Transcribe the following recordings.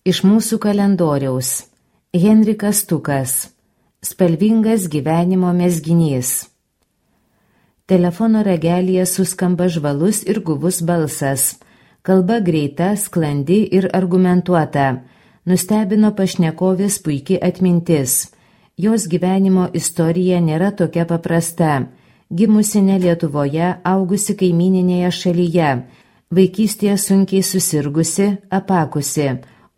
Iš mūsų kalendoriaus. Henrikas Stukas. Spalvingas gyvenimo mezginys. Telefono ragelyje suskamba žvalus ir guvus balsas. Kalba greita, sklandi ir argumentuota. Nustebino pašnekovės puiki atmintis. Jos gyvenimo istorija nėra tokia paprasta. Gimusi ne Lietuvoje, augusi kaimyninėje šalyje. Vaikystėje sunkiai susirgusi, apakusi.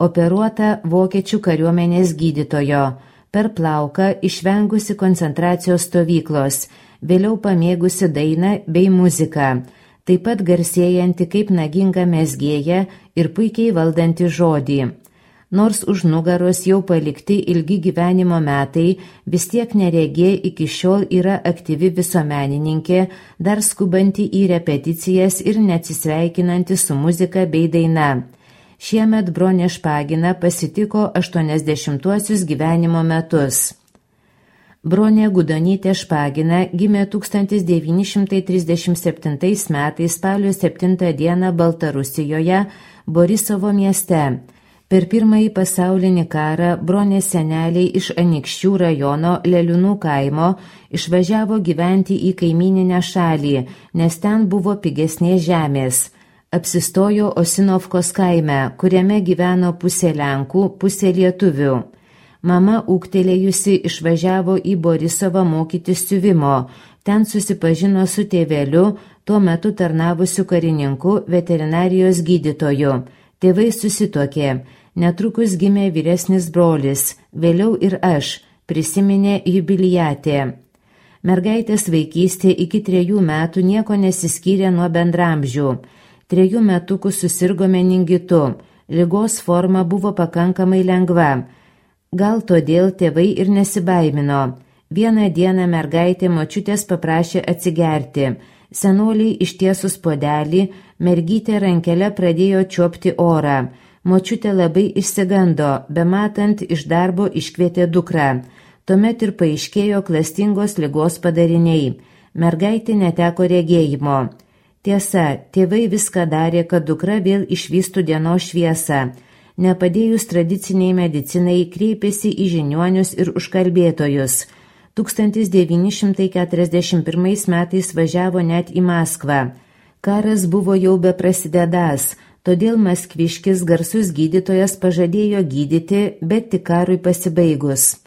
Operuota vokiečių kariuomenės gydytojo, per plauką išvengusi koncentracijos stovyklos, vėliau pamėgusi dainą bei muziką, taip pat garsėjanti kaip naginga mezgėja ir puikiai valdanti žodį. Nors už nugaros jau palikti ilgi gyvenimo metai, vis tiek neregė iki šiol yra aktyvi visuomenininkė, dar skubanti į repeticijas ir neatsisveikinanti su muzika bei daina. Šiemet Bronė Špagina pasitiko 80-uosius gyvenimo metus. Bronė Gudonytė Špagina gimė 1937 metais spalio 7 dieną Baltarusijoje, Borisovo mieste. Per Pirmąjį pasaulinį karą Bronės seneliai iš Anykščių rajono Leliūnų kaimo išvažiavo gyventi į kaimyninę šalį, nes ten buvo pigesnės žemės. Apsistojo Osinovkos kaime, kuriame gyveno pusė Lenkų, pusė lietuvių. Mama ūgtelėjusi išvažiavo į Borisovą mokytis siuvimo. Ten susipažino su tėveliu, tuo metu tarnavusiu karininku, veterinarijos gydytoju. Tėvai susituokė. Netrukus gimė vyresnis brolis, vėliau ir aš, prisiminė jubiliatė. Mergaitės vaikystė iki 3 metų nieko nesiskyrė nuo bendramžių. 3 metukų susirgo meningitu, ligos forma buvo pakankamai lengva. Gal todėl tėvai ir nesibaimino. Vieną dieną mergaitė močiutės paprašė atsigerti. Senoliai ištiesus puodelį, mergytė rankelę pradėjo čiuopti orą. Močiutė labai išsigando, bematant iš darbo iškvietė dukrą. Tuomet ir paaiškėjo klastingos ligos padariniai. Mergaitė neteko regėjimo. Tiesa, tėvai viską darė, kad dukra vėl išvystų dienos šviesą. Nepadėjus tradiciniai medicinai, kreipėsi į žiniuonius ir užkalbėtojus. 1941 metais važiavo net į Maskvą. Karas buvo jau beprasidedąs, todėl maskviškis garsus gydytojas pažadėjo gydyti, bet tik karui pasibaigus.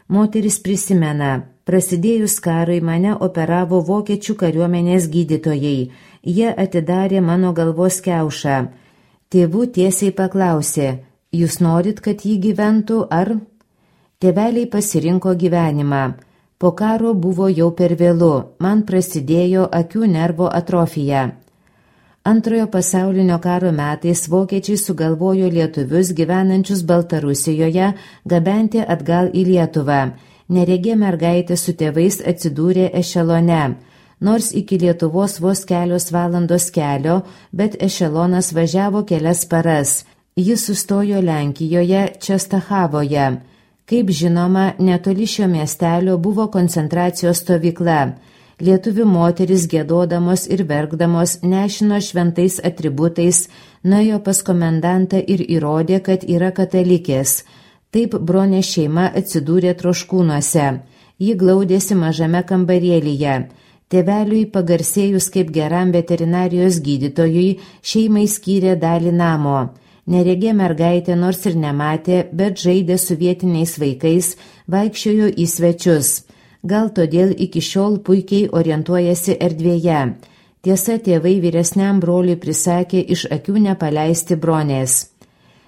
Moteris prisimena, prasidėjus karui mane operavo vokiečių kariuomenės gydytojai. Jie atidarė mano galvos kiaušą. Tėvų tiesiai paklausė, jūs norit, kad jį gyventų, ar? Tėveliai pasirinko gyvenimą. Po karo buvo jau per vėlu, man prasidėjo akių nervo atrofija. Antrojo pasaulinio karo metais vokiečiai sugalvojo lietuvius gyvenančius Baltarusijoje gabenti atgal į Lietuvą. Neregė mergaitė su tėvais atsidūrė ešelone. Nors iki Lietuvos vos kelios valandos kelio, bet ešelonas važiavo kelias paras. Jis sustojo Lenkijoje, Čestachavoje. Kaip žinoma, netoli šio miestelio buvo koncentracijos stovykla. Lietuvių moteris giedodamos ir verkdamos nešino šventais atributais, nuėjo pas komendantą ir įrodė, kad yra katalikės. Taip Bronė šeima atsidūrė Troškūnuose. Ji glaudėsi mažame kambarėlyje. Tėveliui pagarsėjus kaip geram veterinarijos gydytojui, šeimai skyrė dalį namo. Neregė mergaitė nors ir nematė, bet žaidė su vietiniais vaikais, vaikščiojo į svečius. Gal todėl iki šiol puikiai orientuojasi erdvėje. Tiesa, tėvai vyresniam broliui prisakė iš akių nepaleisti Bronės.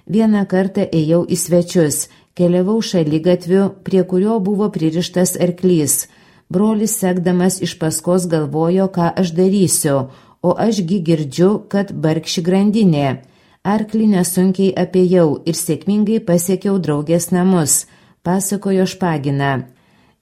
Vieną kartą ėjau į svečius, keliavau šaligatviu, prie kurio buvo pririštas arklys. Brolis sekdamas iš paskos galvojo, ką aš darysiu, o ašgi girdžiu, kad barkši grandinė. Arklį nesunkiai apėjau ir sėkmingai pasiekiau draugės namus, pasakojo Špagina.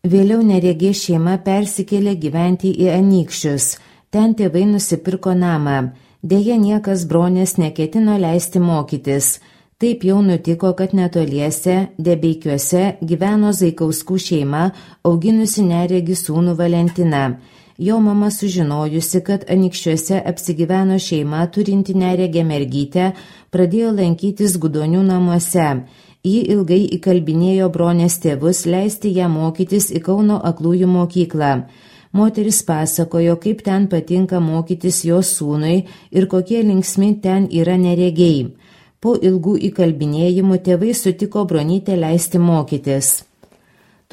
Vėliau neregė šeima persikėlė gyventi į Anykščius. Ten tėvai nusipirko namą. Deja, niekas Bronės neketino leisti mokytis. Taip jau nutiko, kad netoliese, Debeikiuose, gyveno Zaikauskų šeima, auginusi neregį sūnų Valentiną. Jo mama sužinojusi, kad Anykščiuose apsigyveno šeima turinti neregę mergytę, pradėjo lankytis Gudonių namuose. Ji ilgai įkalbinėjo Bronės tėvus leisti ją mokytis į Kauno aklųjų mokyklą. Moteris pasakojo, kaip ten patinka mokytis jos sūnui ir kokie linksmi ten yra neregiai. Po ilgų įkalbinėjimų tėvai sutiko Bronytę leisti mokytis.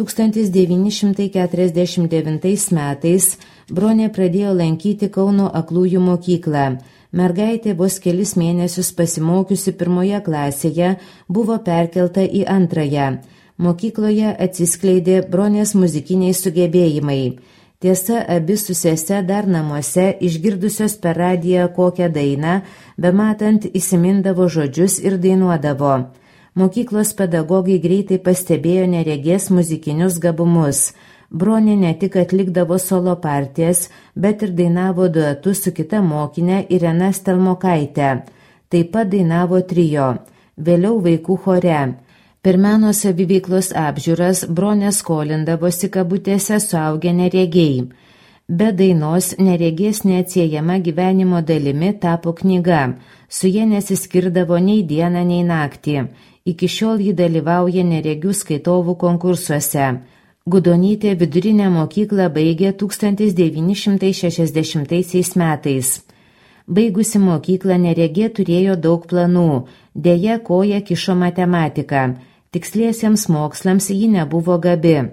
1949 metais Bronė pradėjo lankyti Kauno aklųjų mokyklą. Mergaitė vos kelis mėnesius pasimokiusi 1 klasėje buvo perkelta į 2. Mokykloje atsiskleidė Bronės muzikiniai sugebėjimai. Tiesa, abi su sese dar namuose, išgirdusios per radiją kokią dainą, bematant įsimindavo žodžius ir dainuodavo. Mokyklos pedagogai greitai pastebėjo neregės muzikinius gabumus. Bronė ne tik atlikdavo solo partijas, bet ir dainavo duetu su kita mokinė Irena Stelmokaitė. Taip pat dainavo trio, vėliau vaikų chore. Per meno saviveiklos apžiūras Bronė skolindavosi kabutėse suaugę neregiai. Be dainos neregės neatsiejama gyvenimo dalimi tapo knyga. Su jie nesiskirdavo nei dieną, nei naktį. Iki šiol ji dalyvauja neregių skaitovų konkursuose. Gudonytė vidurinę mokyklą baigė 1960 metais. Baigusi mokyklą neregė turėjo daug planų. Deja, koja kišo matematika. Tiksliesiems mokslams ji nebuvo gabi.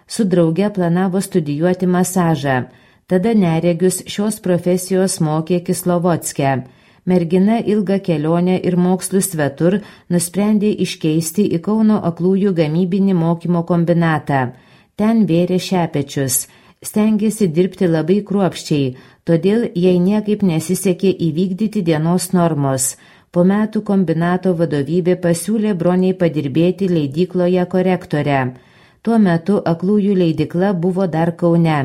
Su drauge planavo studijuoti masažą. Tada neregius šios profesijos mokė Kislovodske. Mergina ilgą kelionę ir mokslus svetur nusprendė iškeisti į Kauno aklųjų gamybinį mokymo kombinatą. Ten vėrė šepečius. Stengėsi dirbti labai kruopščiai, todėl jai niekaip nesisekė įvykdyti dienos normos. Po metų kombinato vadovybė pasiūlė Broniai padirbėti leidykloje korektore. Tuo metu aklųjų leidykla buvo dar Kaune.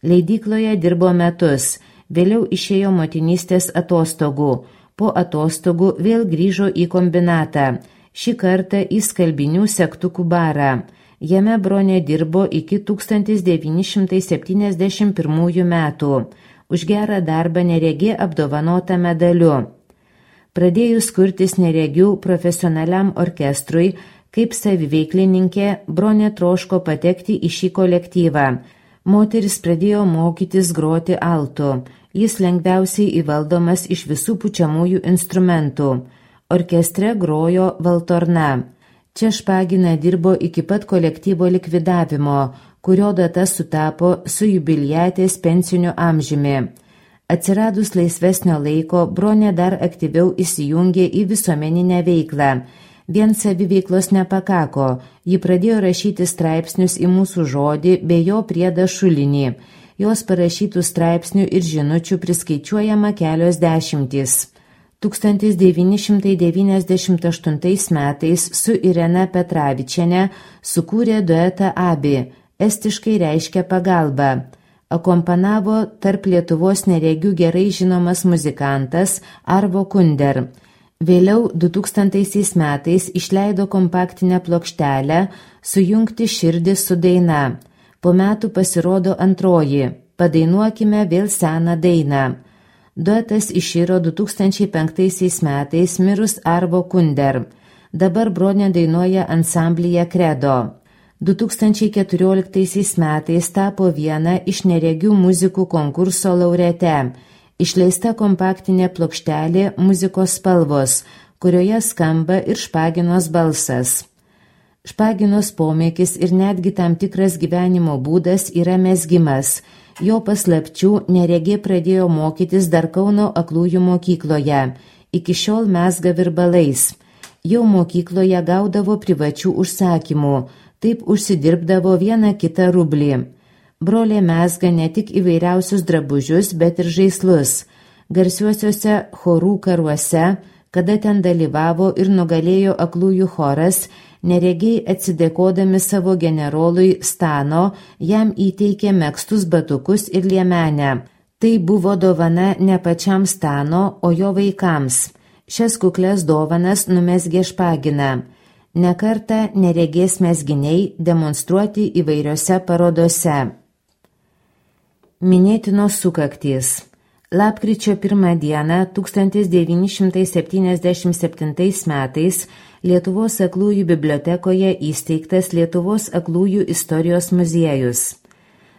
Leidykloje dirbo metus, vėliau išėjo motinystės atostogų. Po atostogų vėl grįžo į kombinatą, šį kartą į skalbinių segtukų barą. Jame Bronė dirbo iki 1971 metų. Už gerą darbą neregė apdovanota medaliu. Pradėjus kurtis neregių profesionaliam orkestrui, kaip saviveiklininkė, Bronė troško patekti į šį kolektyvą. Moteris pradėjo mokytis groti altu. Jis lengviausiai įvaldomas iš visų pučiamųjų instrumentų. Orkestre grojo valtorna. Čia Špagina dirbo iki pat kolektyvo likvidavimo, kurio data sutapo su jubiliatės pensiniu amžiumi. Atsiradus laisvesnio laiko, Bronė dar aktyviau įsijungė į visuomeninę veiklą. Vien saviveiklos nepakako, ji pradėjo rašyti straipsnius į Mūsų žodį bei jo priedą Šulinį. Jos parašytų straipsnių ir žinučių priskaičiuojama kelios dešimtys. 1998 metais su Irena Petravičiene sukūrė duetą Abi, estiškai reiškia pagalba. Akompanavo tarp Lietuvos neregių gerai žinomas muzikantas Arvo Kunder. Vėliau 2000 metais išleido kompaktinę plokštelę Sujungti širdį su daina. Po metų pasirodo antroji Padainuokime vėl seną dainą. Duetas iširo 2005 metais mirus Arvo Kunder. Dabar Bronė dainuoja ansamblyje Credo. 2014 metais tapo viena iš neregių muzikų konkurso laureate. Išleista kompaktinė plokštelė Muzikos spalvos, kurioje skamba ir Špaginos balsas. Špaginos pomėgis ir netgi tam tikras gyvenimo būdas yra mezgimas. Jo paslapčių neregė pradėjo mokytis dar Kauno aklųjų mokykloje. Iki šiol mezga virbalais. Jau mokykloje gaudavo privačių užsakymų. Taip užsidirbdavo vieną kitą rublį. Brolė mezga ne tik įvairiausius drabužius, bet ir žaislus. Garsiuosiuose chorų karuose, kada ten dalyvavo ir nugalėjo aklųjų choras, neregiai atsidėkodami savo generolui Stano, jam įteikė megztus batukus ir liemenę. Tai buvo dovana ne pačiam Stano, o jo vaikams. Šias kuklias dovanas numezgė Špagina. Nekartą neregės mezginiai demonstruoti įvairiose parodose. Minėtinos sukaktys. Lapkričio 1 dieną 1977 metais Lietuvos aklųjų bibliotekoje įsteigtas Lietuvos aklųjų istorijos muziejus.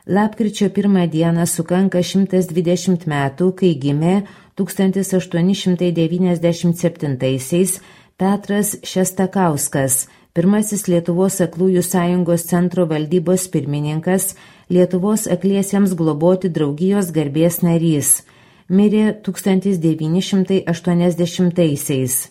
Lapkričio 1 dieną sukanka 120 metų, kai gimė 1897 Petras Šestakauskas, pirmasis Lietuvos aklųjų sąjungos centro valdybos pirmininkas, Lietuvos akliesiems globoti draugijos garbės narys. Mirė 1980-aisiais.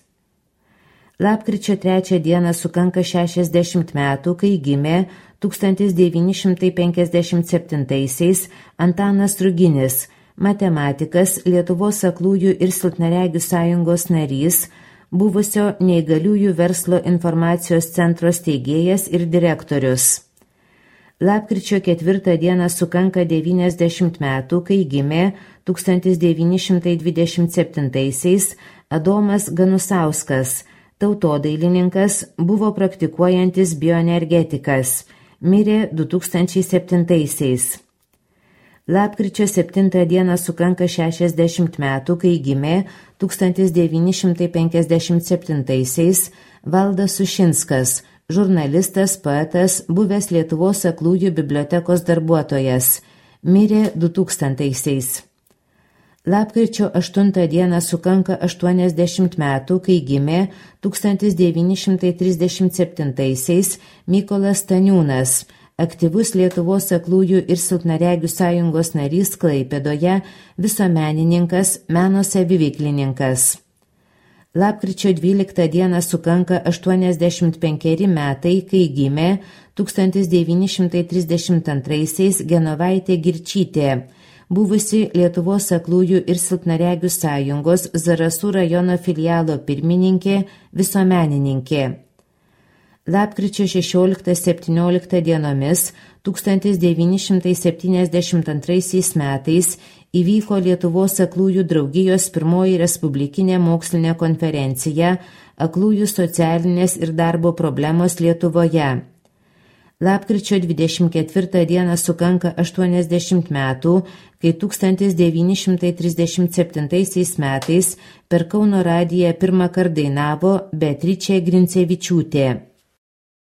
Lapkričio 3 dieną sukanka 60 metų, kai gimė 1957 Antanas Ruginis, matematikas, Lietuvos aklųjų ir silpnaregių sąjungos narys, buvusio neįgaliųjų verslo informacijos centro steigėjas ir direktorius. Lapkričio 4 dieną sukanka 90 metų, kai gimė 1927 Adomas Ganusauskas, tautodailininkas, buvo praktikuojantis bioenergetikas, mirė 2007. Lapkričio 7 dieną sukanka 60 metų, kai gimė 1957 Valdas Sušinskas, žurnalistas, poetas, buvęs Lietuvos aklųjų bibliotekos darbuotojas, mirė 2000. Lapkričio 8 dieną sukanka 80 metų, kai gimė 1937 Mykolas Staniūnas, aktyvus Lietuvos aklųjų ir silpnaregių sąjungos narys Klaipėdoje, visuomenininkas, meno saviveiklininkas. Lapkričio 12 dieną sukanka 85 metai, kai gimė 1932 Genovaitė Girčytė, buvusi Lietuvos aklųjų ir silpnaregių sąjungos Zarasų rajono filialo pirmininkė, visuomenininkė. Lapkričio 16-17 dienomis 1972 metais įvyko Lietuvos aklųjų draugijos pirmoji respublikinė mokslinė konferencija Aklųjų socialinės ir darbo problemos Lietuvoje. Lapkričio 24 dieną sukanka 80 metų, kai 1937 metais per Kauno radiją pirmą kartą dainavo Beatričė Grincevičiūtė.